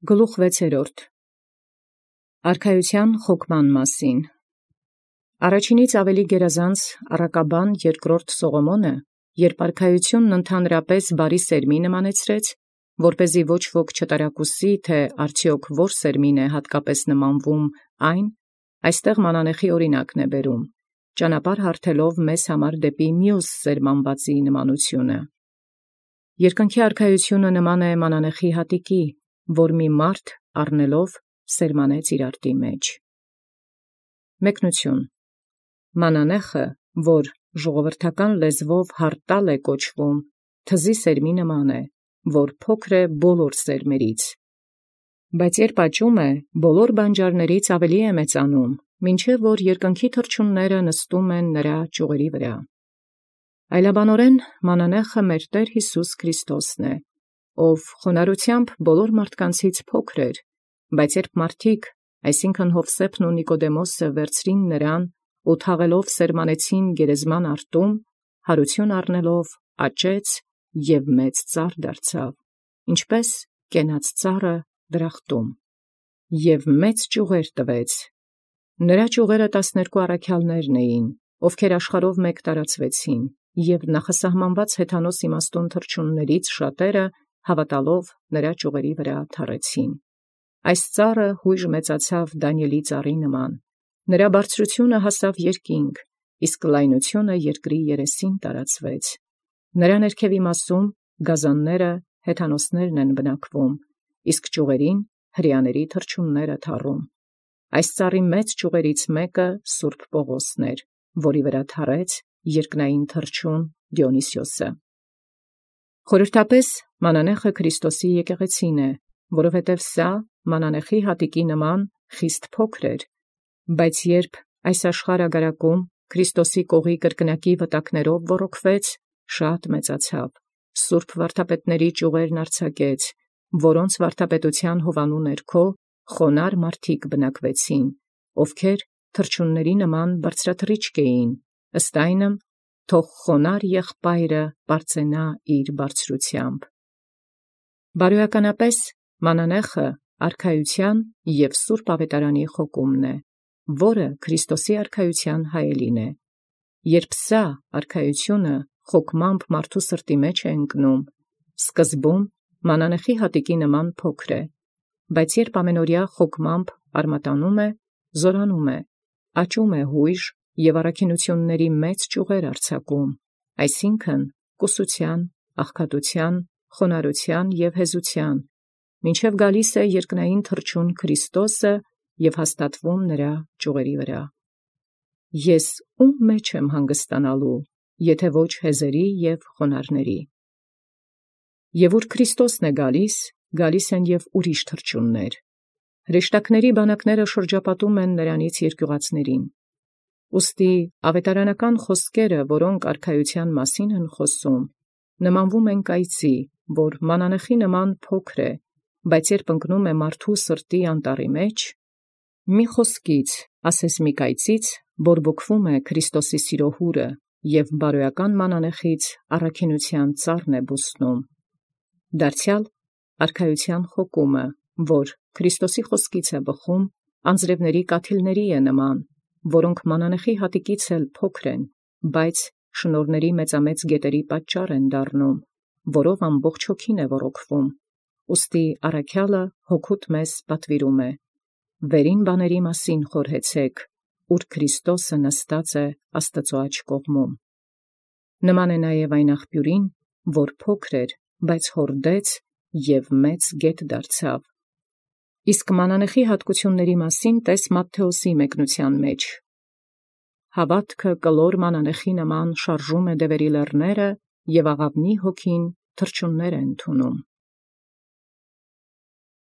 Գլուխ 6. Արքայութեան խոկման մասին։ Առաջինից ավելի գերազանց առակաբան երկրորդ Սողոմոնը, երբ արքայութիւնն ընդհանրապես բարի սերմի նմանեցրեց, որպեսզի ոչ ոք չտարակուսի, թե արդյոք որ սերմին է հատկապես նմանվում այն, այստեղ մանանեխի օրինակն է բերում, ճանապարհ հարթելով մեզ համար դեպի մյուս սերմանվածի նմանութիւնը։ Երկնքի արքայութիւնը նման է մանանեխի հատիկի, որ մի մարդ առնելով սերմանեց իր արտի մեջ։ Մեկնություն. Մանանեխը, որ ժողովրդական լեզվով հարտալ է կոչվում, թզի սերմի նման է, որ փոքր է բոլոր սերմերից, բայց երբ աճում է, բոլոր բանջարներից ավելի է մեծանում, մինչև որ երկնքի թռչունները նստում են նրա ճյուղերի վրա։ Այլաբանորեն մանանեխը մեր Տեր Յիսուս Քրիստոսն է, ով խոնարհությամբ բոլոր մարդկանցից փոքր էր, բայց երբ մարդիկ, այսինքն Յովսեփն ու Նիկոդեմոսը վերցրին նրան ու թաղելով սերմանեցին գերեզման արտում, հարություն առնելով աճեց և մեծ ծառ դարձավ, ինչպես կենաց ծառը դրախտում, և մեծ ճյուղեր տվեց։ Նրա ճյուղերը 12 առաքյալներն էին, ովքեր աշխարհով մեկ տարածվեցին, և նախասահմանված հեթանոս իմաստուն թռչուններից շատերը հավատալով նրա ճյուղերի վրա թառեցին։ Այս ծառը յույժ մեծացավ Դանիէլի ծառի նման, նրա բարձրությունը հասավ երկինք, իսկ լայնությունը երկրի երեսին տարածվեց։ Նրա ներքևի մասում գազանները հեթանոսներն են բնակվում, իսկ ճյուղերին հրեաների թռչունները թառում։ Այս ծառի մեծ ճյուղերից մեկը Սուրբ Պողոսն էր, որի վրա թառեց երկնային թռչուն Դիոնիսիոսը։ Խորհրդապես մանանեխը Քրիստոսի եկեղեցին է, որովհետև սա մանանեխի հատիկի նման խիստ փոքր էր, բայց երբ այս աշխարհագարակում Քրիստոսի կողի կրկնակի վտակներով ոռոգվեց, շատ մեծացավ, սուրբ վարդապետների ճյուղերն արձակեց, որոնց վարդապետության հովանու ներքո խոնար մարդիկ բնակվեցին, ովքեր թռչունների նման բարձրաթռիչք էին, ըստ այնմ, թող խոնար եղբայրը պարծենա իր բարձրությամբ։ Բարոյականապես մանանեխը արքայութեան և սուրբ աւետարանի խոկումն է, որը Քրիստոսի արքայութեան հայելին է։ Երբ սա արքայութիւնը խոկմամբ մարդու սրտի մեջ է ընկնում, սկզբում մանանեխի հատիկի նման փոքր է, բայց երբ ամենօրյա խոկմամբ արմատանում է, զորանում է, աճում է յույժ և առաքինութիւնների մեծ ճյուղեր արձակում, այսինքն կուսութեան, աղքատութեան, խոնարհութեան և հեզութեան, մինչև գալիս է երկնային թռչուն Քրիստոսը և հաստատվում նրա ճյուղերի վրա։ Ես ո՞ւմ մեջ եմ հանգստանալու, եթե ոչ հեզերի և խոնարհների։ Եւ ուր Քրիստոսն է գալիս են և ուրիշ թռչուններ։ Հրեշտակների բանակները շրջապատում են նրանից երկյուղածներին։ Ուստի աւետարանական խոսքերը, որոնք արքայութեան մասին են խոսում, նմանվում են կայծի, որ մանանեխի նման փոքր է, բայց երբ ընկնում է մարդու սրտի անտառի մեջ, մի խոսքից, ասես մի կայծից, բորբոքվում է Քրիստոսի սիրո հուրը, և բարոյական մանանեխից առաքինութեան ծառն է բուսնում։ Դարձեալ արքայութեան խոկումը, որ Քրիստոսի խոսքից է բխում, անձրևների կաթիլների է նման, որոնք մանանեխի հատիկից էլ փոքր են, բայց շնորհների մեծամեծ գետերի պատճառ են դառնում, որով ամբողջ հոգին է ոռոգվում։ Ուստի առաքյալը հոգուտ մեզ պատվիրում է. վերին բաների մասին խորհեցեք, ուր Քրիստոսը նստած է Աստուծոյ աջ կողմում։ Նման է նաև այն աղբյուրին, որ փոքր էր, բայց հորդեց և մեծ գետ դարձավ։ Իսկ մանանեխի հատկությունների մասին տես Մատթեոսի մեկնութեան մեջ. հավատքը կլոր մանանեխի նման շարժում է դևերի լեռները, և աղավնի հոգին թռչուններ է ընդունում։